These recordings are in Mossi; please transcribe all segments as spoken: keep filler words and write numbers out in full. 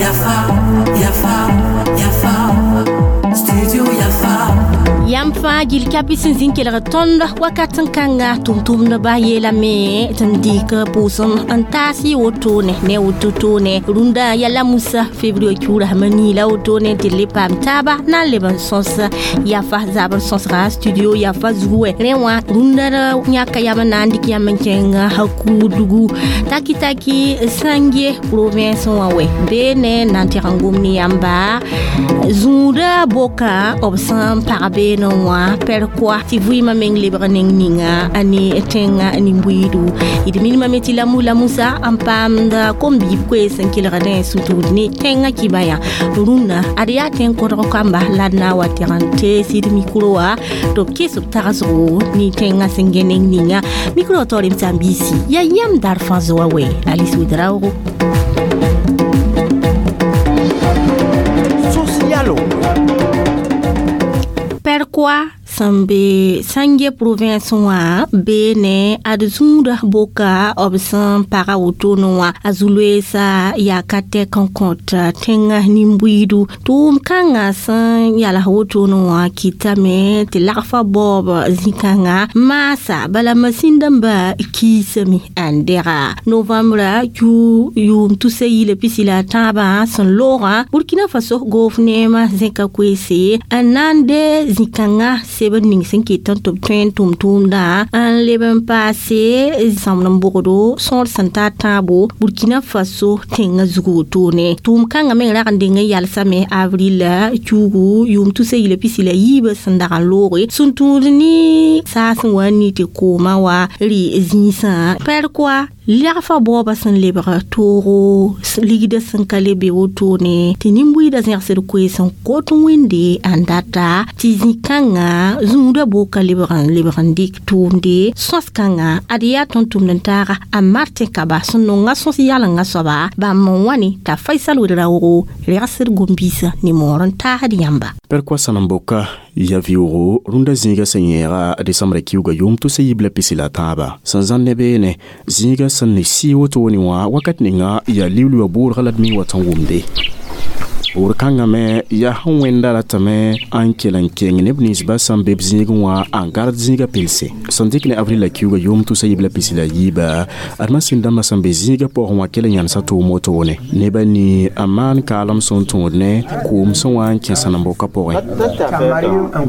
Yafa, Yafa, Yafa, Studio Yafa. Yãmb fãa gil kapi sẽn zĩ n kelg tõnd wakat n kãnga tʋm-tʋmdbã yeelame tɩ n dɩk pʋʋsem n taas y wotone ne woto toone rũndã yala musa février kiuura sã nii la wotone tɩ d le paam taaba na n leb n sõs yafa zabr sõsga studio yafa zugu wɛ rẽ wã rũndã yãka yam n na n dɩk yãmb n kẽng kuudugu taki taki Sange province wã wɛ bee ne na n tɩg n gom ne yãmba zũudã boka b sẽn pag beene wã pɛrkoa tɩ vɩɩmã meng lebg neng ninga a ne tẽngã nin-buiidu d minimame tɩ la la musa n paamd kom-biib koees n kelgdẽ sũ-tũud ne tẽngã kibã yã rũnnã ad yaa tẽng kodg kamba la d na n wa tɩg n tees d mikro wã tɩ b kɩs b tagsgo ne tẽngã sẽn gẽ neng ninga mikro wã taoor m sãn-biisi yaa yãmb dar fãa zoa wɛ Alice Ouedraogo. Socialo. Pɛrkoa sẽn be Sange province wã bee ne ad zũudã boka b sẽn paga wotone wã a zu-loeesa yaa ka tɛk n kõt tẽngã nin-buiidu tʋʋm kãngã sẽn yals wotone wã kɩtame tɩ lagfã baoob zĩ-kãngã maasa bala masĩn-dãmbã kiisame n dɛga novembra kiu yʋʋm tusa yila pisi la a tãabã sẽn loogã Burkina Faso goofneemã zẽka koeese n na n de zĩ-kãngã seb ning sẽn ket tɩ b tõe n tʋm tʋʋmdã n leb n paase zãmb n bogdo sõor sẽn ta tãabo Burkina Faso tẽngã zug wotone tʋʋm kãngã meng rag n deng n yalsame avril kiugu yʋʋm tusa yila pisi la yiibã sẽn dag n looge sẽn tũud ne saas n wa n ni tɩ koomã wa rɩ zĩisã pɛrkoa lagfã baoobã sẽn lebg toogo ligdã sẽn ka le be wotone tɩ nin-buiidã zẽgsd koees n kot wẽnde n data tɩ zĩ-kãngã zũudã boka lebg n lebg n dɩk tʋʋmde sõs-kãngã ad yaa tõnd-tʋmd n taaga a Martin Kaba sẽn nonga sõs yalenga soaba bãmb n wa ne t'a Faisal Ouedraogo regsd gom-biisã ne moor n taasd yãmba. Pɛrkoa sãnem-boka ya vɩʋʋgo rũndã zĩiga sẽn yẽega desãmbrã kiuga yʋʋm tʋsa yiib la pisi la tãaba sẽn zãn ne beene zĩiga sẽn ne sɩ wotone wã wakat ninga yaa liuliwã bʋʋdga la d mi wa tõn wʋmde bʋʋd kãngã me yaa sẽn wẽnda ratame n kell n keng neb ninsbã sẽn be b zĩigẽ wã n gard zĩigã pelse sẽn dɩk ne avril la kiuga yʋʋm tʋsa yiib la pisi la yiiba ad masĩn-dãmbã sẽn be zĩigã pʋgẽ wã kell n yãnesa tʋʋm wotone nebã nii n maan kaalem sẽn tõod ne kʋʋm sẽn wa n kẽ sãnem-bokã pʋgẽ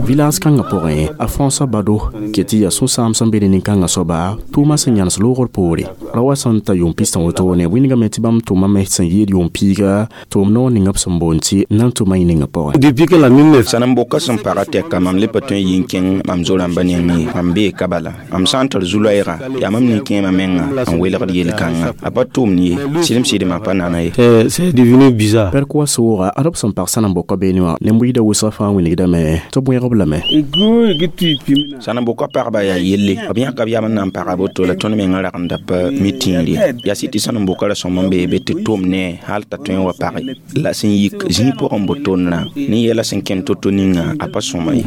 village kãngã pʋgẽ a François Bado ket tɩ yaa sũ-sãam sẽn be ne nin-kãngã soaba tʋʋmã sẽn yãnes loogr poore ra wa sẽn ta yʋʋm pistã wotone wĩndgame tɩ bãmb tʋmame sẽn yɩɩd yʋʋm piiga tʋʋm noor ninga b sẽn boond tɩ nan tʋma y ninga pʋgẽ. Depuis que la mine Sãnem-boka sẽn paga tɛka mam le pa tõe n yi n kẽng mam zo-rãmbã nengẽ ye mam bee ka bala mam sã n tar zu-loɛɛga yaa mam nin-kẽemã menga n welgd yel-kãngã a pa tʋʋmd ye sɩdem sɩdmã pa nana ye. c'est c'est devenu bizarre. Pɛrk wa sooga ad b sẽn pag sãnem-bokã beene wã nin-buiidã wʋsga fãa wilgdame tɩ b wẽgb lame. Sãnem-bokã pagba yaa yelle b yãka b yam n na n paga boto la tõnd mengã rag n da pa mi tĩir ye yaa sɩ tɩ sãnem-bokã ra sõm n bee be tɩ tʋm ne hal t'a tõe n wa page la sẽn yik zĩig pʋgẽ n bo tondrã ne yɛla sẽn kẽnd to-to ninga a pa sõma ye.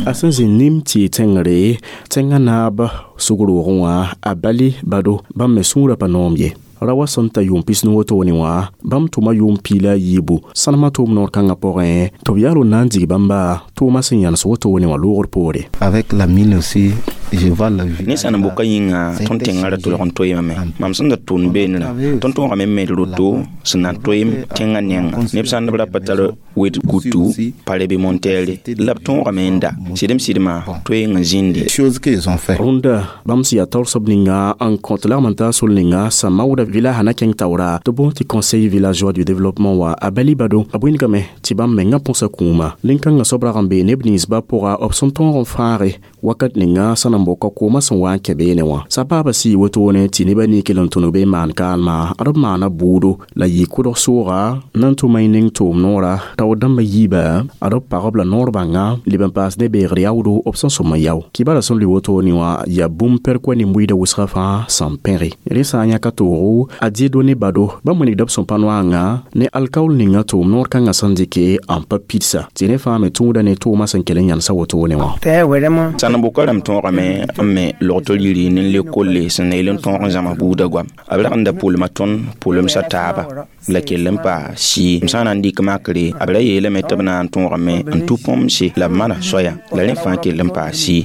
A sẽn zĩ nim tɩ tẽngre tẽngã naab sug-roogẽ wã a Bali Bado bãmb me sũurã pa noom ye ra wa sẽn ta yʋʋm pis wotone wã bãmb tʋma yʋʋm piila a yiibu sãnemã tʋʋm noor kãngã pʋgẽ tɩ b yaal n na n dig bãmba tʋʋmã sẽn yãnes wotone wã loogr poore. Avec la mine aussi, je vois la vie. Ne sãnem-bokã yĩnga tõnd tẽngã ra tolg n toeemame mam sẽn da tʋʋn beenrã tõnd tõogame n med roto sẽn na n toeem tẽngã nenga neb sã n b ra pa tar wed kutu parebimontɛɛre la b tõogame n da sɩdem sɩdmã toeeng n zĩnde. Choses qu'ils ont fait. Rũndã bãmb sẽn yaa taoor soab ninga n kõt lagm n taa sol ninga sã maoodã village na kẽng taoora tɩ boond tɩ conseil villageois du développement wa a Bali Bado a bõengame tɩ bãmb mengã põsa kũuma nin-kãngã soab rag n bee neb ninsbã pʋga b sẽn tõog n fãage wakat ninga sã n boka koomã sẽn wa n kẽ beene wã sa paaba sɩ wotone tɩ nebã nii kell n tõneg bee maan kaalma ad b maana bʋʋdo la yɩ kʋdg sooga na n tʋma y ning tʋʋm noora t'a tao dãmba yiiba ad b pagb la noor bãnga leb n paas ne beegr yaoodo b sẽn sõm n yao kibara sẽn lʋɩ wotone wã yaa bũmb pɛrkwa nin-buiidã wʋsgã fãa sẽn pẽge rẽ sã n yãka toogo a Dieudonné Bado bãmb wilgda b sẽn pa noangã ne alkaool ninga tʋʋm noor kãngã sẽn dɩke n pa pidsa tɩ rẽ fãa me tũuda ne tʋʋmã sẽn kell n yãnsa wotone wã sãnem-boka rãmb tõogame n me logto yiri ne le kolle sẽn na yel n tõog n zãms buudã goam b rag n da pʋlma tõnd pʋlemsã taaba la kell n pa sɩɩ m sã n na n dɩk makre b ra yeelame tɩ b na n tõogame n tʋ põmse la b mana soaya la rẽ fãa kell n paa sɩɩ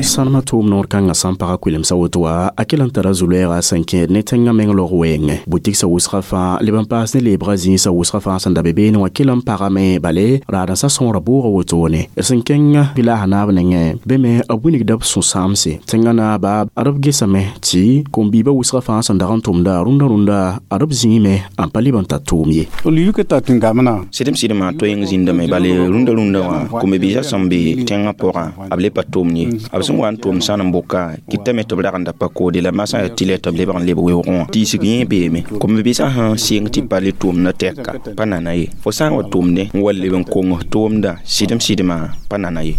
sãnemã tʋʋm noor kãngã sã n paga kʋɩlemsã woto wã a kell n tara zu-loɛɛga sẽn kẽed ne tẽngã meng log wɛɛngẽ bʋtigsã wʋsgã fãa leb n paas ne leebgã zĩisã wʋsgã fãa sẽn da be beene wã kell n pagame bale raadãnsã sõora bʋʋga wotone sẽn kẽng vɩlaasã naab nengẽ be me b wilgda b sũ-sãamse tẽngã naaba ad b gesame tɩ kom-biibã wʋsgã fãa sẽn dag n tʋmda rũndã rũndã ad b zĩime n pa leb n tar tʋʋm ye sɩdem sɩdmã toeng zĩndame bale rũndã rũndã wã kom-biisã sẽn be tẽngã pʋgã b le pa tʋʋmd ye b sẽn wa n tʋʋm sãn n boka kɩtame tɩ b rag n da pa koode la masã yaa tɩ lɛ tɩ b lebg n leb weoogẽ wã tiisg yẽ beeme kom-biisã sẽn sɩng tɩ pa le tʋʋmdã tɛka pa nana ye fo sã n wa tʋʋmdẽ n wa leb n kong tʋʋmdã sɩdem sɩdmã pa nana ye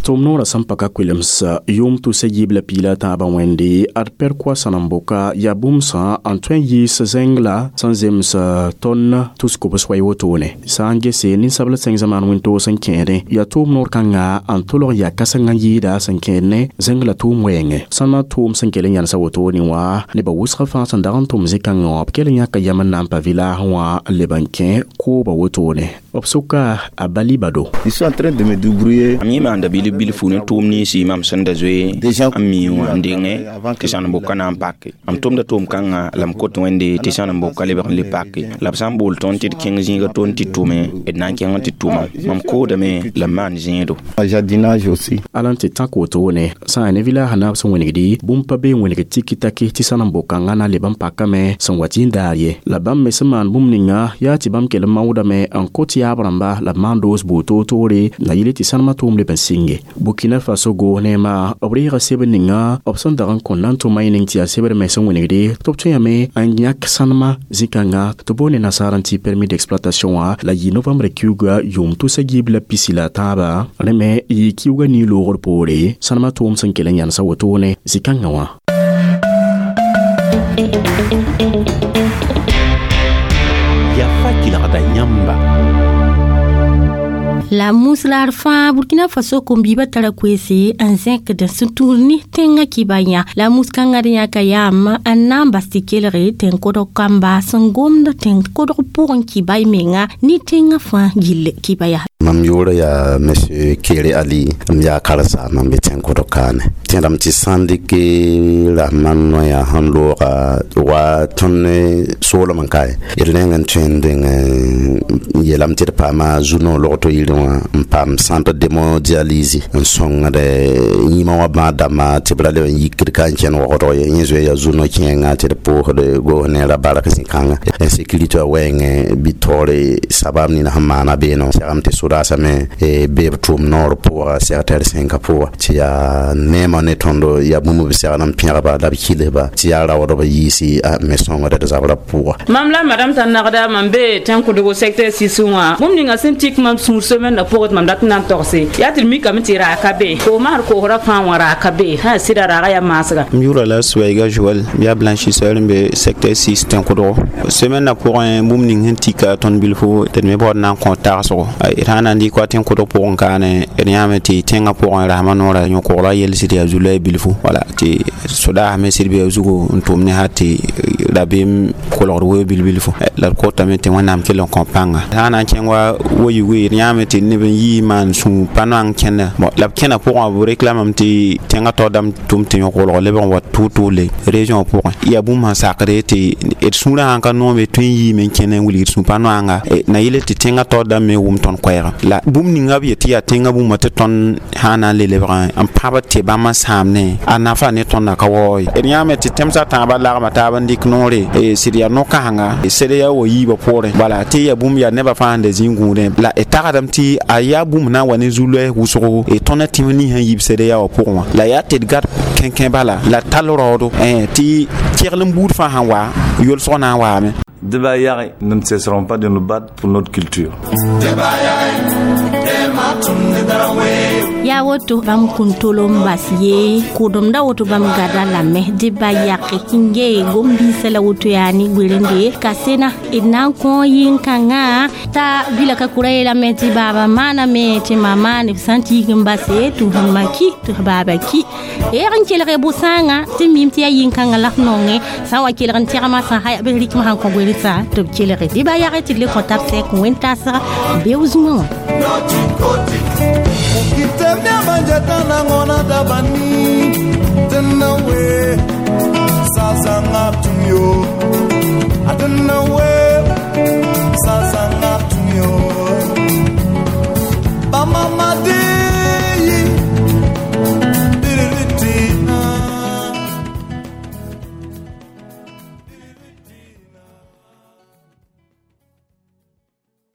tʋʋm noorã sẽn pa ka kʋɩlems yʋʋm tʋsa yiib la piila tãabã wẽnde ad pɛrkwa sãnem-boka yaa bũmb sã n tõe n yiis zẽng la sẽn zems tõn tus-kobs wa wotone sã n gese ninsabl sẽng zamaan wĩntoog sẽn kẽedẽ yaa tʋʋm noor kãnga n tolg yaa kãseng n yɩɩda sẽn kẽed ne zẽng la tʋʋm wɛɛngẽ sãnma tʋʋm sẽn kell n yãnsa wotone wã nebã wʋsgã fãa sẽn dag n tʋm zĩ-kãngã wã b kell n yãka yam n na n pa vɩlaasẽ wã n leb n kẽ kooba wotone b sʋka a Bali Bado Je suis en train de me débrouiller. Mam yẽ maanda bil bilfu ne tʋʋm ninsi mam sẽn da zoe n mi wã n dengẽ tɩ sãnem-boka na n pake mam tʋmda tʋʋm kãngã la m kot wẽnde tɩ sãnem-boka lebg n le pake la b sã n bool tõnd tɩ d kẽng zĩiga tõnd tɩ tʋme d na n kẽng n tɩ tʋma mam koodame la m maan zẽedo Jardinage aussi. Ala n tɩ tãk wotone sã n yaa ne vɩlaasã naab sẽn wẽnegdi bũmb pa bee wẽneg tiki-taki tɩ sãnem-bokãngã na leb n pakame sẽn wa tɩ n daar ye la bãmb me sẽn maan bũmb ninga yaa tɩ bãmb kell n maoodame n kot yaab rãmba la b maan doos buud toor-toore la yɩle tɩ sãnemã tʋʋm leb n sɩnge Burkina Faso goos neema b reega sebr ninga b sẽn dag n kõn na n tʋma y ning tɩ yaa sebr me sẽn wẽnegde tɩ b tõe n yãk sãnemã zĩ-kãnga tɩ boone nasaar n tɩ permis d'exploitation wã la yɩ novembre kiuga yʋʋm tʋsa yiib la pisi la tãaba rẽ me yɩ kiuga nii-loogr poore sãnemã tʋʋm sẽn kell n yãnsa wotone zĩ-kãngã wã. Yafa kelgda yãmba. La muslaar fãa Burkina Faso kom-biibã tara koeese n zẽkd sẽn tũud ne tẽngã kɩba yã la mus-kãngã d yãka yaam n na n bas tɩ kelge tẽn-kodg kamba sẽn gomd tẽn-kodg pʋgẽ kɩba y menga ne tẽngã fãa gill kɩba yaa. Mam yʋʋra yaa monsieur Kere Ali, m yaa karen-saamba n be tẽn-kodg kaane. Tẽdame tɩ sã n dɩk rasmã noya sẽn looga wa tõnd ne soolem n kae d rẽng n tõe n dẽng n yeelame tɩ d paama zu-noog logto yirẽ wã n paam centre d'hémodialyse n sõngd yĩmã wã bãad dãmbã tɩ b ra leb n yikd ka n kẽnd waoodg ye yẽ zoe yaa zu-no kẽenga tɩ d pʋʋsd goos ne ra bark zĩ-kãnga insécurité wã wɛɛngẽ bɩ taoore sabab nina sẽn maana beene segame tɩ sʋdaasame bee b tʋʋm noor pʋga sectɛr sẽnka pʋga tɩ yaa neemã ne tõndo yaa bũmb b segl n pẽgba la b kilsba tɩ yaa raoodb yiisi me sõngd d zabrã pʋga. Mam la madame t'a nagda mam be tẽn-kʋdgo secteur six wã bũmb ninga sẽn tik mam sũur semaine na pʋgẽ tɩ mam dat n na n togse yaa tɩ d mikame tɩ raag ka be koosmã d koosrã fãa wã raag ka be sã sɩda raagã yaa maasga. M yʋʋra la Suɛiga Joɛl, m yaa blanchisseur n be secteur six tẽn-kʋdgo semaine na pʋgẽ bũmb ning sẽn tika tõnd bilfo tɩ d me baood na n kõ tagsgo d sã n na n dɩk wa tẽn-kʋdg pʋgẽ kaane d yãame tɩ tẽngã pʋgẽ rasmã noorã yõ-koglã yels tɩ yaa zu-loɛɛ bilfu wala tɩ sodaasme sɩd be a zugu n tʋm ne ha tɩ rabeem kolgd wee bil-bilfu la d kotame tɩ wẽnnaam kell n kõ pãnga sã n na n kẽng wa wa yugẽ d yãame tɩ neb n yii maan sũ pa-noang kẽnda bon la b kẽna pʋgẽ b réclamame tɩ tẽngã tao dãmb tʋm tɩ yõ-kolg lebg n wa tʋʋl-tʋʋle région pʋgẽ yaa bũmb sẽn sakde tɩ d sũurã sãn ka noome tõe n yiime n kẽne n wilgd sũ pa-noanga na yɩl tɩ tẽngã tao dãmb me wʋm tõnd koɛɛga la bũmb ninga b yet tɩ yaa tẽngã bũmba tɩ tõnd sã n na n le lebgã n pãb tɩ bãmb n sãam ne a nafa ne tõndã ka waoog ye d yãame tɩ tẽmsã tãabã lagma taab n dɩk noore sɩd yaa no-kãsenga sed yaa wa yiibã poorẽ bala tɩ yaa bũmb yaa nebã fãa sẽn da zĩ gũudẽ la d tagsdame tɩ a yaa bũmb na n wa ne zu-loɛɛs wʋsgo tõnd tẽm nins sẽn yib sed yaa wã pʋgẽ wã la yaa tɩ d gad kẽnkẽ bala la tall raoodo tɩ kegl n buud fãa sẽn wa yolsg na n waame. Debayare, nous ne cesserons pas de nous battre pour notre culture. Yaa woto bãmb kũntol n bas ye kʋʋdemda woto bãmb gada lame dɩ ba yake n gee gom-biisã la woto yaa ne gberende ka sena d na n kõ yĩn-kãngã t'a bila ka kʋra yeelame tɩ baaba maaname tɩ ma maane b sã n tiig n base tɩ f ma ki tɩ f baaba ki eeg n kelge bʋ-sãangã tɩ mim tɩ yaa yĩn-kãngã la f nonge sã n wa kelg n tɛgmã sã ha b rɩkm sãn kõ gwersa tɩ b kelge dɩ ba yage tɩ d le kõ tab sɛk wẽn-tasga beo zũmã wã. Ukitemea manjeta nangona dabani tenawe sazanga tuyo.